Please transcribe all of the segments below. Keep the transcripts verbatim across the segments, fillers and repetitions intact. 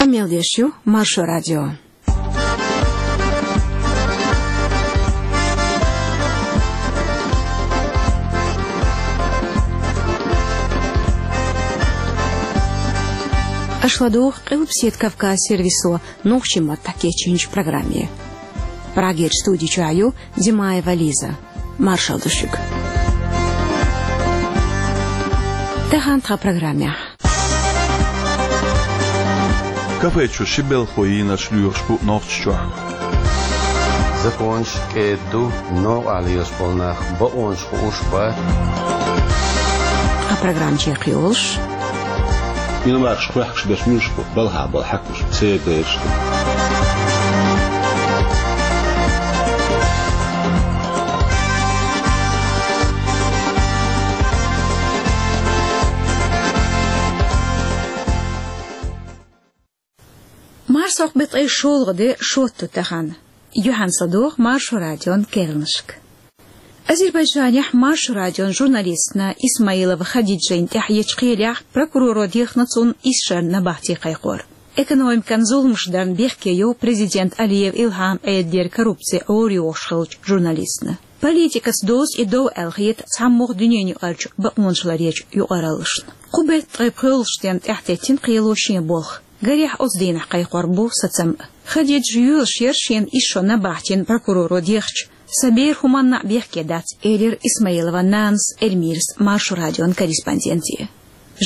Мел деш ю Маршо радио. Аша ладугӀу Къилбаседа Кавказ сервисо нохчийн маттахь кечйинчу программе. Прагерчу студи чохь ю Димаева Лиза. Маршалла ду шуьга. Тахана тхан программехь. Кафе чу ши белхо йийнарш лоьхуш бу Нохчийчохь. Законаш кӀеда ду, новкъахь лелаш болу нах бакъонаш хууш бац. Тхан программа чекхйолуш. Иномаркаш кхехкаш берш муьлш бу, балхахь болу хьаькамаш, церан бераш ду. Марсхьокху беттан шолгӀа де, шотту тахана. Юьхьанца ладогӀа Маршо радион керланашка. Азербайджанехь Маршо радион журналистна Исмаилова Хадиджина тӀехь ечу кхелехь прокуроро дехна цунна исс шарна набахте кхайкхор. Экономикан зуламаш дарна бехке йо президент Алиев Илхьам Ӏедалера коррупци гӀорайохуш хиллачу журналистна. Политикаца доьзна и дов аьлла хета цхьамогӀа дуьненаюкъарчу бакъонаш ларъечу юкъараллашна. Кху беттан ткъе пхоьалгӀачу денна тӀаьхьатеттина кхело шен болх. Гарехь, оцу дийнахь кхайкхор бу сацам а. Хадиджа йоьлуш яра шена исс шо набахтина прокуроро дехча, сан бер хӀуманна а бехке дац, элира Исмаилован нанас Эльмирас Маршо радион корреспонденте.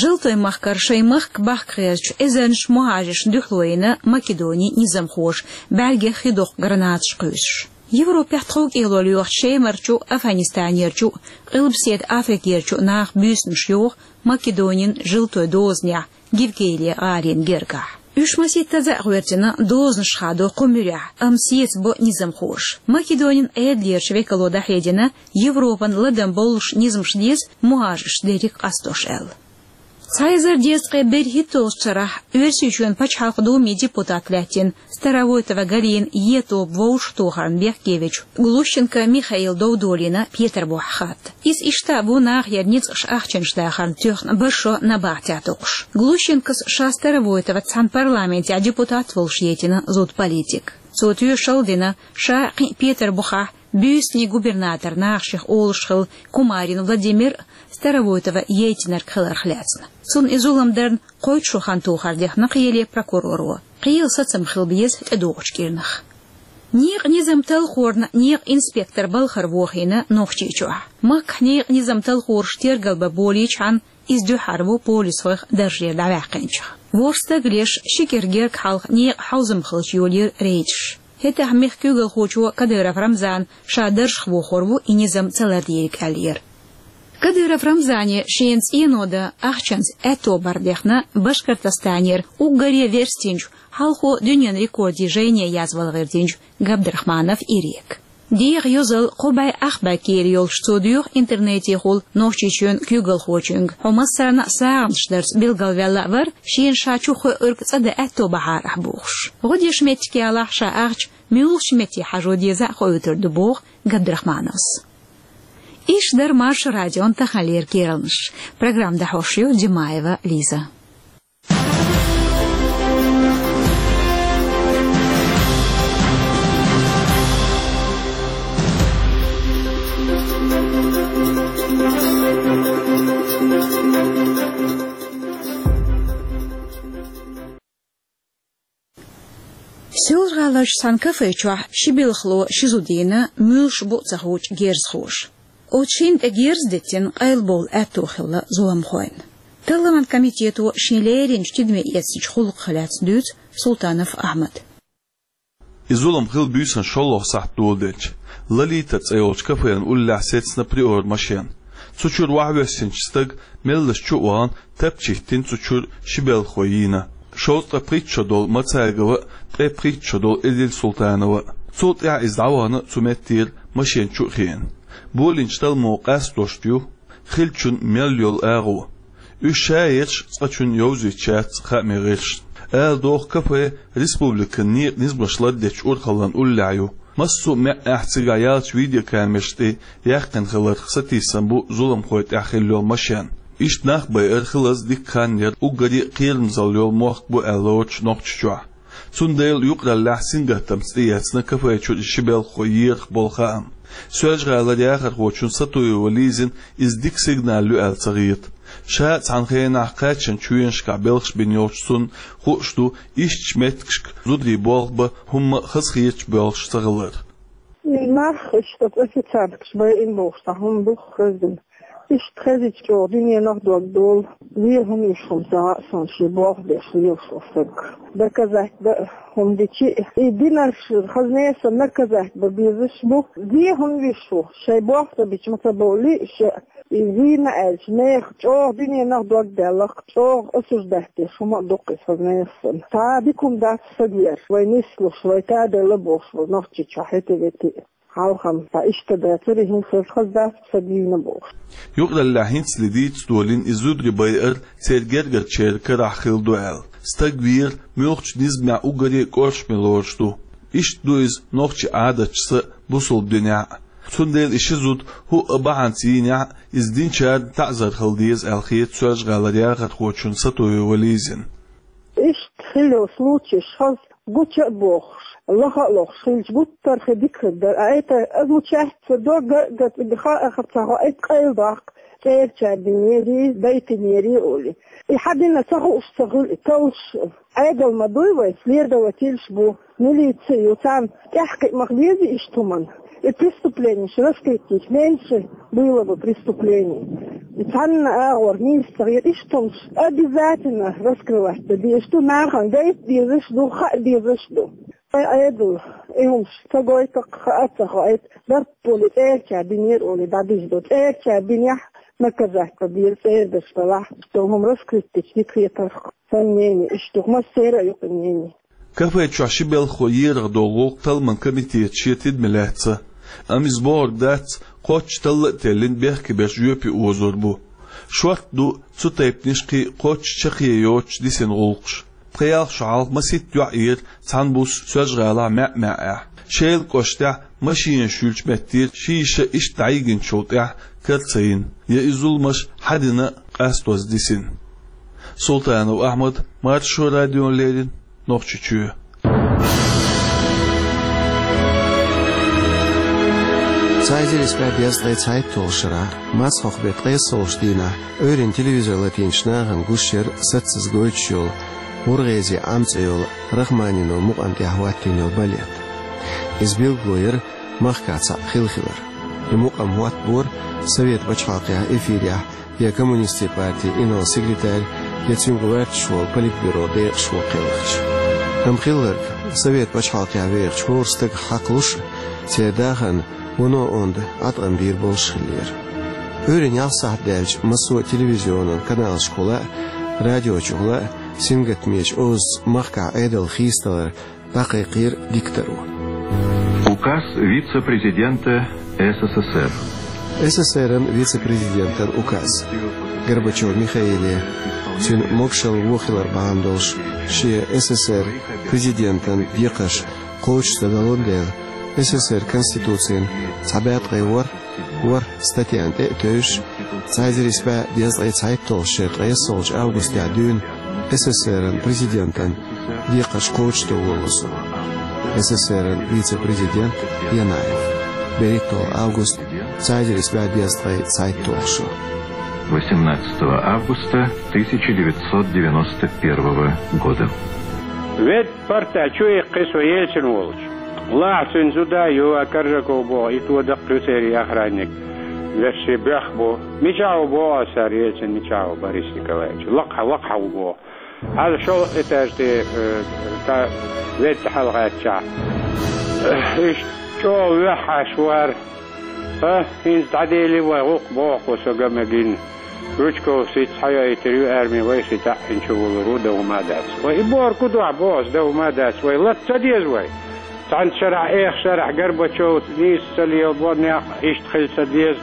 Желтойн махкара шайн махка бахка хезачу эзарнаш мухӀажаршна дуьхьало йина Македонин низамхоша, бӀаьргех хи доккху гранаташ кхуьйсуш. Европехь тховкӀело лоьхучу Шемарчу, Афганистанерчу, Къилбаседа Африкерчу наха буьйсанаш йоху Македонин желтой дозанехь, Гевкелия гӀалина гергахь. Уьш масийттаза а гӀоьртина дозанаш хадо кху муьрехь, амма сецабо низамхоша. Македонин Ӏедалерчу векало дӀахьедина, Европан ладам боллуш низамаш деза мухӀажарш дерриг къастош аьлла. Цхьа эзар дезткъе берхӀитталгӀачу шарахь Оьрсийчоьнан Пачхьалкхан Думин депутат лаьттина Старовойтова Галина е тоба вовшахтохарна бехке вечу Глущенко Михаила дов долийна Петарбухехь хатта. Иза иштта а ву нахера ницкъаша ахчанаш дахарна тоьхна бархӀ шо набахтехь токхуш. Глущенкос ша Старовойтоваца цхьаьна парламентехь депутат волуш яйтина зуда политик. Цо тоьшалла дина, ша кхин а Петарбухехь буьйсанийн губернатор нахах шех олуш хилла Кумарин Владимир а Старовойтова яйтинарг хиларх лаьцна. Цунна и зулам дарна кхойтта шо хан тохар дехна кхеле прокуроро. Кхелан сацам хила беза тӀедогӀучу кӀирнах. Некъан низам талхорна некъан инспектор балхара вохийна Нохчийчохь. Махкахь некъан низам талхораш тергал бан болийчхьана, иза дуьххьара ву полисхойх даржера дӀаваьккхинчех. ВорхӀ стаг леш, ши кӀира герга хьалха некъан хьовзам хилча йолийра рейдаш. ХӀетахь мехкан куьйгалхочо Кадыров Рамзана ша даржах вохор ву и низам ца лардийриг аьллера. Кадыров Рамзане шена цӀено дан ахчанца аьтто бар дехна Башкортостанера уггаре верстинчу, хьалхо дуьненан рекордийн жайне язвала гӀиртинчу Габдрахманов Ирека. ДегӀан йозалла кхо бӀе ах бӀе кийра йолуш цо доьху интернетехула Нохчийчоьнан куьйгалхочуьнга, хьо массарна а сагӀанаш дарца билгалваьлла а вара, шена ша чу хоьуьрг цӀа дан аьтто бахьара ахь бохуш. ГӀо деш меттиг ялахь, ша ахча муьлхачу метте хьажо деза а хоуьйтур ду, боху Габдрахмановс. Иштта дара Маршо радион таханлера керланаш. Программа дӀахьош ю Димаева Лиза. Соьлжа-ГӀаларчу цхьана кафе чохь ши белхало ши зуда йина, муьлш бу а ца хуучу герзахоша. Оцу шинна тӀе герз диттина къайлабовла аьтто хилла зуламхойн. Талламан комитето шен леринчу тидаме эцначу гӀуллакхах лаьцна дуьйцу Султанов Ахьмада. И зулам хилла буьйсанна шолгӀа сахьт доладелча, Лолита цӀе йолчу кафенан уллехь сецна Приора машен. Цу чуьра ваха воьссинчу стага меллаша чу а вахана, тапча хӀиттина цу чуьра ши белхало йийна. Шовзткъе пхийтта шо долу Мацагова а, ткъе пхийтта шо долу Эдил Султанова а. Цул тӀаьхьа иза дӀавахана цу меттера машен чу а хиъна. Болийначу талламо къастош ю хиллачун мел йолу агӀо. Уьш шаерчу цкъачунна йовзуьйтуш яц хаамийн гӀирсашна. Ала догӀу, кафе республикан некъан низамаш лардечу урхаллан уллехь ю. Массо а маьӀӀехь цигахь яьллачу видеокамераш тӀе яьккхина хиларх сатийсам бу зуламхойн тӀехь хилла йолу машен. Иштта нах байар хилаза дикка хан яр, уггаре а кхерамзалла йола мохк бу аьлла лоцуш Нохчийчохь. Цундела юкъараллехь сингаттамца тӀеэцна кафе чуьра ши белхахо ерах болу хаам. Соьлжа-ГӀалара яхархочун Сатуева Лизина иза дика сигнал ю аьлла ца хета. Ша а цхьана хенахь кхаччалц чоьнашкахь белхаш бина йолчу цунна хууш ду, ишттачу меттигашка зударий болх бан хӀумма а хазахеташ болуш ца хилар. И нах, иштта официанткаш байина бохуш, цхьа хӀума ду хезна. Иштта хезча чӀогӀа дуьненах дог долу, вен хӀума йиш хӀума ца хаьа суна, шен болх беш лелаш волу стаг. Доказать дан а хӀума дичи, и динарш хаза несан наказать бан безаш бу. Вен хӀума йиш ву, шайн болх ца бича ма ца бовлий ша. И вийна аьлча, нехан чӀогӀа дуьненах дог даьлла-кх, чӀогӀа осуждать деш хӀума а ду-кх иза хаза несан. Цхьа дика хӀума дац стаг вер, вай нислуш, вай таделла бохуш волу Нохчийчохь хӀета-вета. Хьалхам, ткъа иштта дацара, хӀинца хаза дац сан дийна бохуш. Юкъараллехь хӀинцале дийца долийна и зударий байар церан гергарчеран карахь хилла ду аьлла. Стаг вер муьлххачу низамехь уггаре а кӀоршаме лоруш ду. Иштта ду иза нохчийн Ӏадаташца а, бусалба динехь а. Цундела и ши зуда хӀуъа бахьанца йийнехь а, иза динчарна таӀзар хила деза аьлла хета Соьлжа-ГӀалара яхархочун Сатуева Лизина. Иштта хилла йолу случайш хаза гуча а бохуш, лаха а лохуш хилча, гуттар а хи дика хир дара. А это, означать ца до, га, га, га, ха, ха, ца хо, это къайла доккху, цӀерачара динера, дайтинера олий. И хьан дина ца хууш ца хуьлу, и товш, Ӏедал ма дуй вай, следовательш бу, милиция ю, царна тӀаьхьакхиа ма хезий иштта хӀуманна. И преступленеш раскрыть меньше было бы преступлений. И цхьанна агӀор нийса ца хета, иштта хӀумаш обязательно раскрывать дан дезаш ду, нахана гайта дезаш ду, хаа дезаш ду. Ай, Ӏедал, и хӀумаш ца гойту-кх, хаа а ца хоуьйту, дарба олий, цӀерачара динера олий, дӀадуьйш ду. ЦӀерачара динехь наказать дан деза, цӀердаш далахь, что хӀума раскрыть дича дика хетарх. Сан мнение иштта ду, массеран а ю-кх и мнение. Кафе чохь ши белхахо ерах долу гӀуллакх талламан комитета шен тидаме лаьцна. Амма иза бохург дац, кхоччуш талла а теллина, бехке берш жоьпе озор бу. Шортта ду цу тайпанаш кхин кхоччуш чаккхе йоцуш дисина гӀуллакхаш. Пхи-ялх шо хьалха масийтта йоӀ ера цхьана буса Соьлжа-ГӀалахь маьӀ-маьӀӀехь. Шелан кӀоштахь машенаш юьллучу меттера ши йиша иштта дӀайигначул тӀаьхьа кара ца йина, я и зуламаш хьан дина а къастоза дисина. Султанов Ахьмад, Маршо радиона леррина, Нохчийчоь. Цхьа эзар исс бӀе дезткъе цхьайтталгӀачу шарахь, мацхьалкхан беттан ткъайоьсналгӀачу дийнахь, Ӏуьйранна телевизор латийначу нахана гуш яра саццаза гойтуш йолу, «ГӀургӀезин Ӏам» цӀе йолу Рахманиновн мукъамна тӀехь хӀоттийна йолу балет. Иза билгало яра махкахь цхьаъ хилла хилар. И мукъам хӀоттабора Совет пачхьалкхехь эфирехь я коммунистийн партин инарла-секретарь, я цуьнга лоьтташ волу политбюрон декъашхо кхелхича. Амма хилларг, Совет пачхьалкхехь вехачу хӀора стагах хьакхалуш а, церан дахарна вуно онда Ӏаткъам бийр болуш хиллера. Ӏуьйранна ялх сахьт даьлча, массо а телевизионан каналашкахула а, радиочухула а сингаттамечу озаца махкахь Ӏедалан хийцадалар дӀакхайкхийра дикторо. Указ вице-президента СССР. СССР-ан вице-президентан указ. Горбачев Михаиле, цуьнан могушалла вон хилар бахьана долуш, шен СССР президентан декхарш кхочушдан далун дела, СССР Конституцин цхьа бӀе ткъе ворхӀ, ворхӀ статьяна тӀе а тевжаш, цхьа эзар исс бӀе дезткъе цхьайтталгӀачу шеран ткъайоьсналгӀачу августехь дуьйна СССР-ан президентан декхарш кхочушдан волало со. СССР-ан вице-президент Янаев. БерхӀитталгӀа август, цхьа эзар исс бӀе дезткъе цхьайтталгӀа шо. Восемнадцатого августа тысяча девятьсот девяносто первого года. Ведь парта чу иккхи со Ельцин волчу. Лахьа цуьнан зуда а ю, а Коржаков боху, и тодаккха ю церан охранник. Вешший боьх бу. Мичахь ву боху аса цара, Ельцин мичахь ву, Борис Николаевич? Лакхахь, лакхахь ву боху. Хьажа шолгӀа этаж тӀе, э, та ведда хьалагӀаьттачахь. Иштта чӀогӀа ваьхьаш вара. ХӀа, хӀинца дӀадели вай гӀуллакх боху со ган мегина. Жучковс хӀинца схьайоуьйтур ю арми, вай ши таӀ хӀинца чу вулур ву, дан хӀума а дац. Вай и бохург ду дуьхьа боху, дан хӀума а дац. Вай латта ца деза вай. Цхьана шарахь, эха шарахь Горбачев нийса ца лелабо, некъ иштта хила ца деза.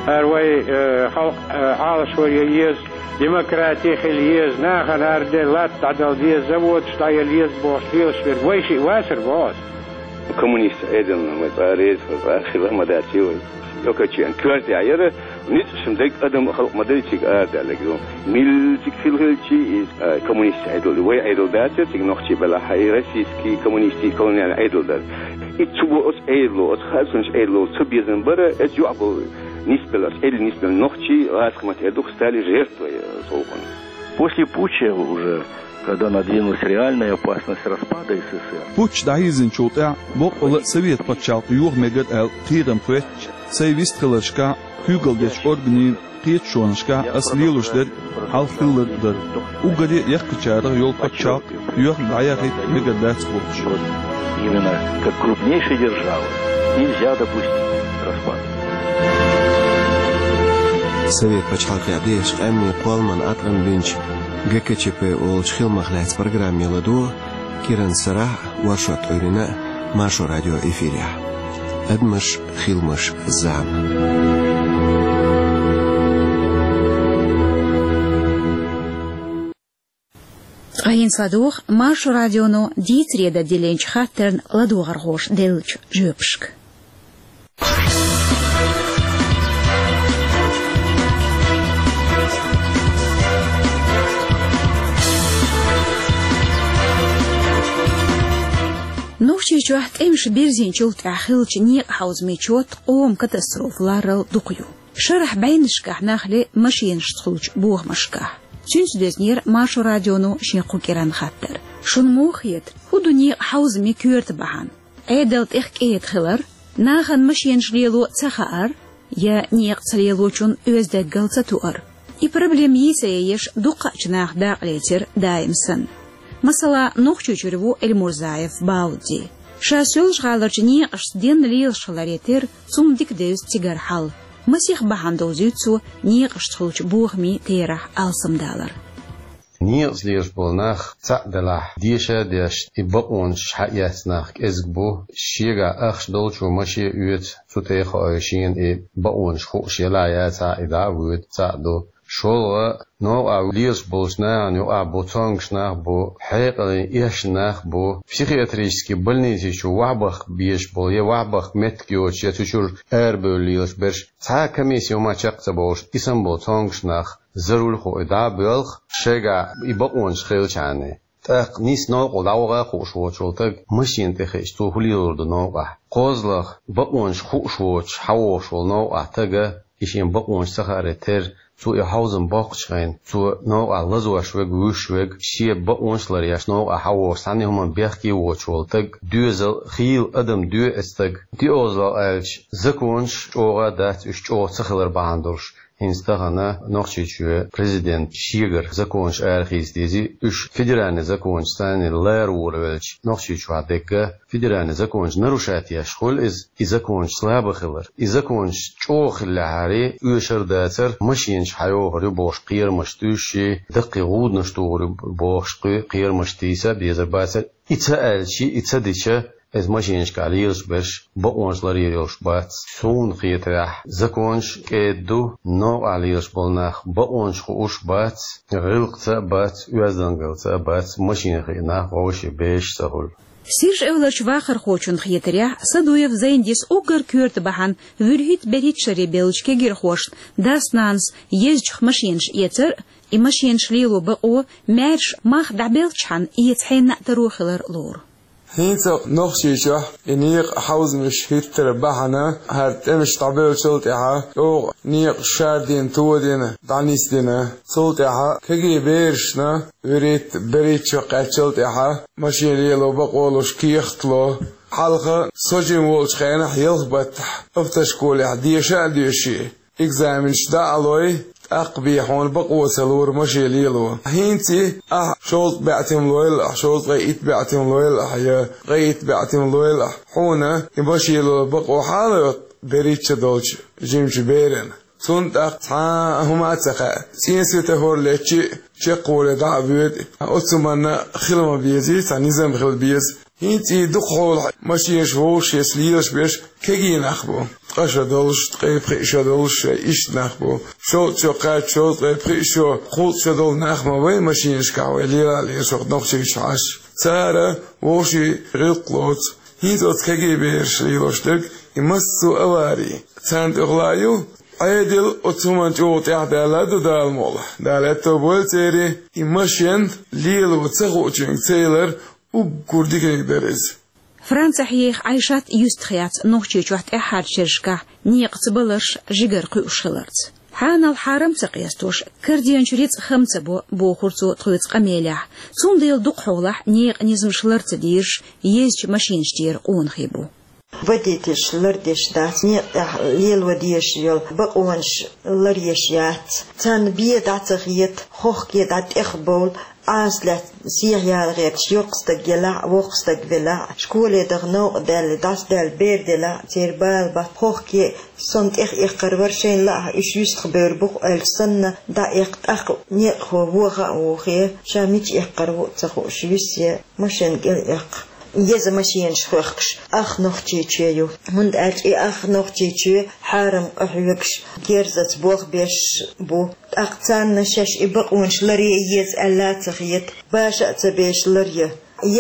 ХӀара вай, э, халкъ, э, Ӏалашо ян еза, демократи хила еза, нахана хӀара де латта дӀадала деза, заводаш дӀаяла еза бохуш лелаш верг вай шиъ вацара боху аса. Коммунист Ӏедална вай цкъа а реза, вай цкъа а хила ма дац вай. Окачен коьртехь яра, ницкъашна дерг адам а халкъ ма-дарра цига арадаьлларг ду. Милла цига хилла хилча, иза, а, коммунистийн Ӏедал, вай Ӏедал дацара цига нохчий белахь, и российский коммунистийн колониальный Ӏедал дара. И цу бо оцу Ӏедало, оцу харцонаш Ӏедало цу безам бара, оцу юкъахь болу нисбелла, оцу Ӏедалан нисбелла нохчий гӀазкхийн маттахь ду-кх стали жертвой, э, цу гӀуллакхан. После путча уже, когда надвинулась реальная опасность распада С С С Р. Путч дӀахьийзинчул тӀаьхьа боккъала а Совет пачхьалкх йоха мегар аьлла кхерам хӀоьттича, сайн вистхиларшкахь, куьйгалла дечу органийн кхеташонашкахь ас лелош дерг хьалха хилларг а дара. Уггаре а яккхийчарах йолу пачхьалкх йоьхна дӀаяхийта мегар дац бохуш. Именно как крупнейшая держава нельзя допустить распад. Совет пачхьалкхехь дехачу къаьмнийн кхолламан Ӏаткъам бинчу Г К Ч П олучу хиламах лаьцна программе ладогӀа Киран Сарахь а, Воршот Ӏуьйрина а Маршо радион эфирехь. Адамаш, хиламаш, зама. Ткъа хӀинца ладогӀа Маршо радионо дийцаре дан диллинчу хаттарна ладогӀархоша деллачу жоьпашка. Нохчийчохь тӀемаш бирзинчул тӀаьхьа хиллачу некъан хьовзамийн чот къоман катастрофа ларарал дукха ю. Шарахь бӀеннашкахь нах ле машенашца хуьлучу бохамашкахь. Цуьнца доьзнера Маршо радионо шен кху кӀиранан хаттар. Шуна муха хета, хӀун ду некъан хьовзаме коьрта бахьана? Ӏедал тӀех кӀеда хилар, нахана машенаш лело ца хаар, я некъа ца лелочун оьзда даггал ца туар? И проблема йийца еш дуккхаъчу наха дакъа лецира даим санна. Масала, Нохчийчуьра ву Эльмурзаев Баудди. Ша Соьлжа-ГӀаларчу некъашца денна лелаш хиларе терра, цунна дика девза цигара хьал. Масех бахьана довзуьйту цо некъашца хуьлучу бохамийн терахь алсамдалар. Некъаца лелаш болу нах цхьаъ делахь, деша а деш, и бакъонаш хьаэцна нах кӀезиг бу. Шегахь ахча долчо машен оьцу, цу тӀе а хоуьйту шена и бакъонаш хууш елахь яцахь, и дӀа а воьду, цхьаъ ду. ШолгӀа, новкъахь лелаш болчу нахана юкъахь бу цомгуш нах бу, хьекъале эшна нах бу, психиатрически больници чу вахьбахка безаш болу, я вахьбахка меттиг йоцуш, я цу чуьра арабевлла лелаш берш, цхьа а комиссия хӀума чекх ца бовлуш, и санна болу цомгуш нах, зарулла хуьлу и дӀа а боьлху, шайгахь и бакъонаш хилчахьана. ТӀаккха нийсса новкъахула дӀаваха а хууш воцчул таг машина тӀе хиъча, цо хӀун лелор ду новкъахь? КхозлагӀа, бакъонаш хууш воцуш, хьан вогӀуш волу новкъахь тага, и шен бакъонаш ца хааре терра, цо и хьовзам боккхучу хенахь, цо новкъахь лазош верг, вуьйш верг, шен бакъонаш ларъеш новкъахь хьан вогӀуш, цхьанна хӀуманна бехке воцуш волу таг, доьзал, хийла адам доьху оцу стага. ДиъозлагӀа аьлча, законаш чӀогӀа дац, уьш чӀогӀа ца хилар бахьана долуш. ХӀинца тахана Нохчийчоь президент шегара законаш арахийца дези, уьш федеральный законаш санна лара вора велча, Нохчийчохь дегга федеральный законаш нарушать еш хуьлу иза, и законаш слаба хилар. И законаш чӀогӀа хиллехьара, оьшур дацара, машенаш хьайохур ю бохуш кхерамаш туьйсуш, даккхий гӀуданаш тухур ю бохуш кхе-, кхерамаш тийса безар бацара. И ца аьлча, и ца дича, иза машенашкахь лелаш берш бакъонаш ларъеш йолуш бац. Суна хетарехь, законаш кӀеда ду, новкъахь лелаш болу нах бакъонаш хууш бац, гӀиллакхца а бац, оьздангаллица а бац, машена хиъна нах вовшийн бераш ца хуьлу. Сиржа-Эвларчу вахархочунна хетарехь, Садуев Зайндис уггар коьрта бахьана вуьрхӀитта-берхӀитта шаре бевллачу кегирхошна дас-нанас езачух машенаш эцар а, и машенаш лело бакъо маьрша мах дӀабелчхьана эца хьенна а таро хилар лору. ХӀинца Нохчийчохь и некъан хьовзамаш хӀиттаран бахьана, хӀара тӀемаш дӀабевллачул тӀаьхьа, чӀогӀа некъаш шардина, тодина, дӀанисдина. Цул тӀаьхьа кегий берашна вуьрхӀитта-берхӀитта шо кхаьччал тӀаьхьа машен лело бакъо луш кехат ло. Хьалха со жима волчу хенахь ялх баттахь автошколехь деша а доьший, экзаменаш дӀа а лой, тӀаккха бен хьуна бакъо ца лора машен лело. ХӀинца ахь шовзткъа бӀе тӀем лойла ахь, шовзткъе итт бӀе тӀем лойла ахь, я ткъе итт бӀе тӀем лойла ахь, хьуна и машен лело бакъо хьала а йоцу берхӀитта шо долчу жимачу берана. Цунна тӀаккха цхьа а хӀума а ца хаьа. ЦӀен светофор летча а, чекхвале дӀа а воьду, оцу хӀуманна хила ма безий, цхьа низам хила беза. ХӀинца и дукхахьолахь машенаш вовшахъяьсса лелаш берш кегий нах бу. Ткъа шо долуш, ткъе пхиъ шо долуш, иштта нах бу. Шовзткъа шо кхаьчча, шовзткъе пхиъ шо, кхузткъа шо долу нах ма бай машенашкахь вай лела а лелаш вай Нохчийчу Ӏаш. Цара вовшийн гӀиллакх лоцу. ХӀинца оцу кегий бераш лелош дерг И массо а авари царна тӀехула ю, Ӏедал оцу хӀуманна чӀогӀа тӀаьхьадаьлла ду Дала мукъалахь. Дала аьтто бойла церан, и машен лело ца хуучуьнга ца ялар уггар диканиг дара иза. Францехь еха Ӏайшат юьстах яц Нохчийчохь тӀаьххьарчу шерашкахь некъаца баларш жигара кхуьуш хиларца. Хьанал хьарам ца къестош, карденчу рицкъ хам ца бо, бохура цо тхоьца къамелехь. Цундела дукхахьолахь некъан низамаш лар ца дезаш, езачу машинаш тӀера къонахий бу. Водительш лардеш дац, некъа тӀехь лело дезаш йолу бакъонаш ларъеш яц. Царна бен дӀа ца хета, хохке дӀа тӀехбовла, Ӏаса лаьцна сехьа яла гӀерташ, йоккха стаг елахь а, воккха стаг велахь а, школе даха новкъа даьлла, дӀасадаьлла бер делахь а, церан бала бац, хохке а, со-м тӀехъяьккхар вара, шайна лаахь уьш юьстах бевр бу-кх аьлча санна, дӀаэккха, тӀаккха некъахо воха а вохе, ша мича эккхар ву а ца хууш, юьссе машен кӀел эккха. Еза машенаш хоьхкуш ах Нохчийчоь ю, хӀунда аьлча и ах Нохчийчоь хьарам къахьоьгуш, герзаца болх беш бу. ТӀаккха царна шаьш и бакъонаш ларъе еза аьлла а ца хета, баша а ца беш ларъе.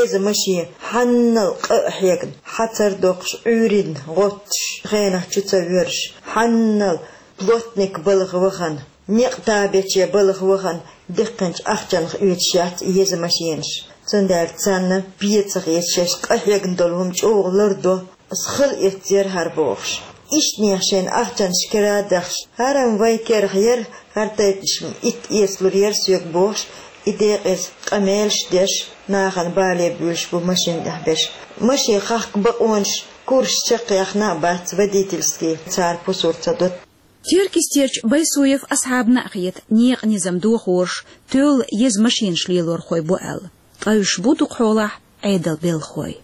Еза машен хьаннал къа а хьегна, хьацар доккхуш, Ӏуьйранна гӀоттуш, хенахь чу ца воьрзуш, хьаннал плотник балха вахана, некъ табече балха вахана, диккхинчу ахчанах оьцуш яц и еза машенаш. Цундела царна бен ца хета шаьш къа хьегна долу хӀума чӀогӀа лардо. Ас хала эццера хӀара бохуш. Иштанех шайна ахчанаш кара а дахьаш, хӀара-м вайн керахь яра, хӀара тайпанаш итт эцалур яра соьга бохуш, и декъаза къамелаш деш, нахана бале буьйлуш бу машен тӀехь берш. Машен хахка бакъонаш, курс чекхъяхна а бац водительский, цара пусар ца до. Теркйистерчу Байсуев Асхьабна а хета, некъан низам дохорш тоьлла еза машинаш лелорхой бу аьлла. Ткъа уьш бу дукхахьолахь Ӏедалан белхахой.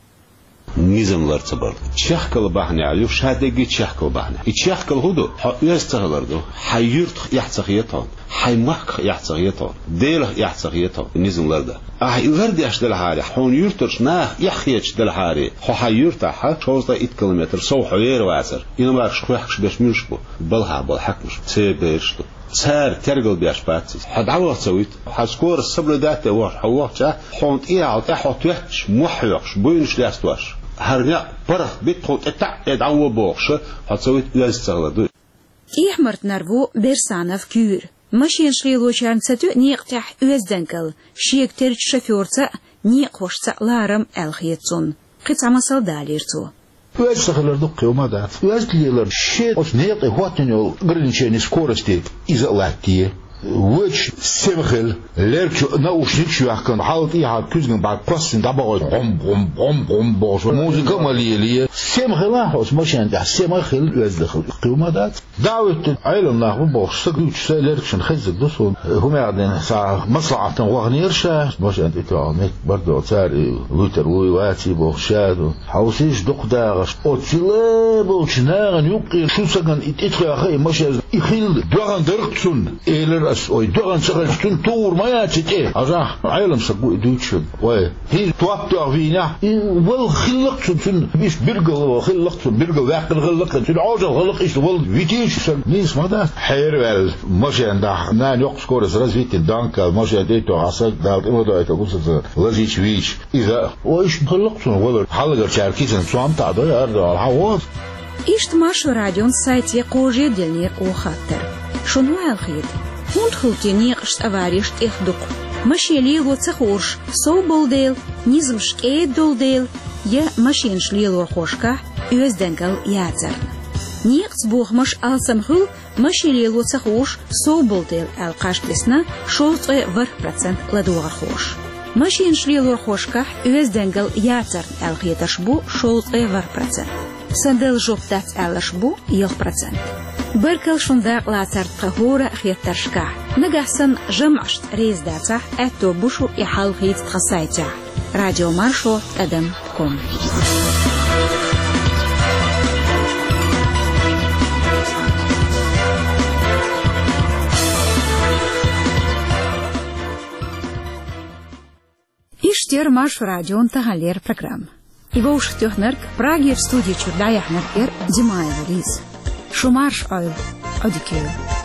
Низам лар ца бар. Чехкалла бахьанехь ю, ша дерриге чехкалла бахьанехь. И чехкалла хӀун ду? Хьо оьзда ца хилар ду. Хьайн юьртах эхь ца хета хьуна. Хьайн махках эхь ца хета хьуна. Делах эхь ца хета хьуна. Низам лардан. Ахьа и лардеш делахьара, хьуна юьртарчу наха эхь хеташ делахьара, хьо хьайн юьртахь шовзткъе итт километр сов хьо вер вацара. Иномаркаш кхехкаш берш муьлш бу? Балхахь болу хьаькамаш, церан бераш ду. Цара тергал беш бац иза. Хьо дӀаваха ца вуьту. Хьан скорость соблюдать а вахаш, хьо вахча, хьуна тӀехьа тӀе хьо тоьттуш, мохь хьоькхуш, буйнаш лестош. ХӀара некъ паргӀат битта хьуна тӀе таӀ э дӀавоха бохуша, хьо ца вуьту, оьзда ца хилар ду. ТӀехьмартнар ву Берсанов Куьйра. Машенаш лелочарна ца тоьа некъа тӀехь оьздангалла, шега терчу шофёрца а, некъахошца а ларам аьлла хета цунна. Кхин цхьа масал далийра цо. Оьзда ца хилар дуккха хӀума дац. Оьзда лелар шен оцу некъе хӀоттийна йолу ограничение скорости иза а латте. Вуьйцуш сема хила, лергачу наушникаш а йоьхкина, хьал тӀехьа куьзган бӀарг кхоссина дӀабахой, гӀом, гӀом, гӀом, гӀом бохуш, музыка а ма лелае. Сема хила хьо оцу машен тӀехь, сема хила, оьзда хила, кхин хӀума дац. ДӀа а вуьттина, Ӏелам нах бу бохуш, са гуьйцуш, са лергашна хеззиг ду суна. ХӀумаьгӀдина схьа маслаӀатан ваханера ша, машен тӀе тоьхна меттиг бардо, цара и луьйтар вуй, ваций бохуш ша ду. Хьовсийша дукха дагӀаш. Оцу цила болчу нахана юккъера шу сагана и тӀетхоьхьа и машен, и хилла доьгӀна дара-кх цунна, элира ас, ой, доьгӀна ца хилча, цунна тугӀур ма яц и тӀе. Хьажахь, Ӏелам саг ву и дуьйцуш верг. Вай, хӀинца топ тоьхна вийнехь, и вала хилла-кх цунна, цунна иштта билггал вала хилла-кх цунна, билггал ваьккхина хилла-кх, цуьнан Ӏожалла хилла-кх иштта вала витийча саг. Нийса ма дац. Хьераваьлла машен дахь, нана йоккха скорость развитина данкал машен тӀе а тоьхна, саг Дала тӀе ма дойту, бу сан лазийча вийча. Иза а, о, иштта хилла-кх цунна валар. Хьалхарчара кисана цом таӀадой, ардо, хьан гӀо? Иштта Маршо радион сайте кхожа диллинера оха хаттар. Шуна хӀун аьлла хета? ХӀунда хуьлу те некъашца авареш тӀех дукха? Машен лело ца хуурш сов болу дела, низамаш кӀеда долу дела, я машенаш лелорхошкахь оьздангалла яцарна? Некъаца бохамаш алсам хуьлу, машен лело ца хууш сов болу дела аьлла кхаж тесна шовзткъе ворхӀ процент ладогӀархоша. Машенаш лелорхошкахь оьздангалла яцарна аьлла хетарш бу шовзткъе ворхӀ процент. Сан дала жоп дац аьлларш бу ялх процент. Баркалла шун дакъалацарна тхан хӀора а хеттаршкахь. Нагахь санна жамӀашца реза дацахь, аьтто бу шу и хьал хийца тхан сайтехь. Радио Маршо, тӀадам ком. Иштта яра Маршо радион таханлера программа. И вовшахтоьхнарг, Прагера студи чуьра дӀаяьхьнарг яра Димаева Лиза. Шу марша Ӏойла, Ӏодика йойла.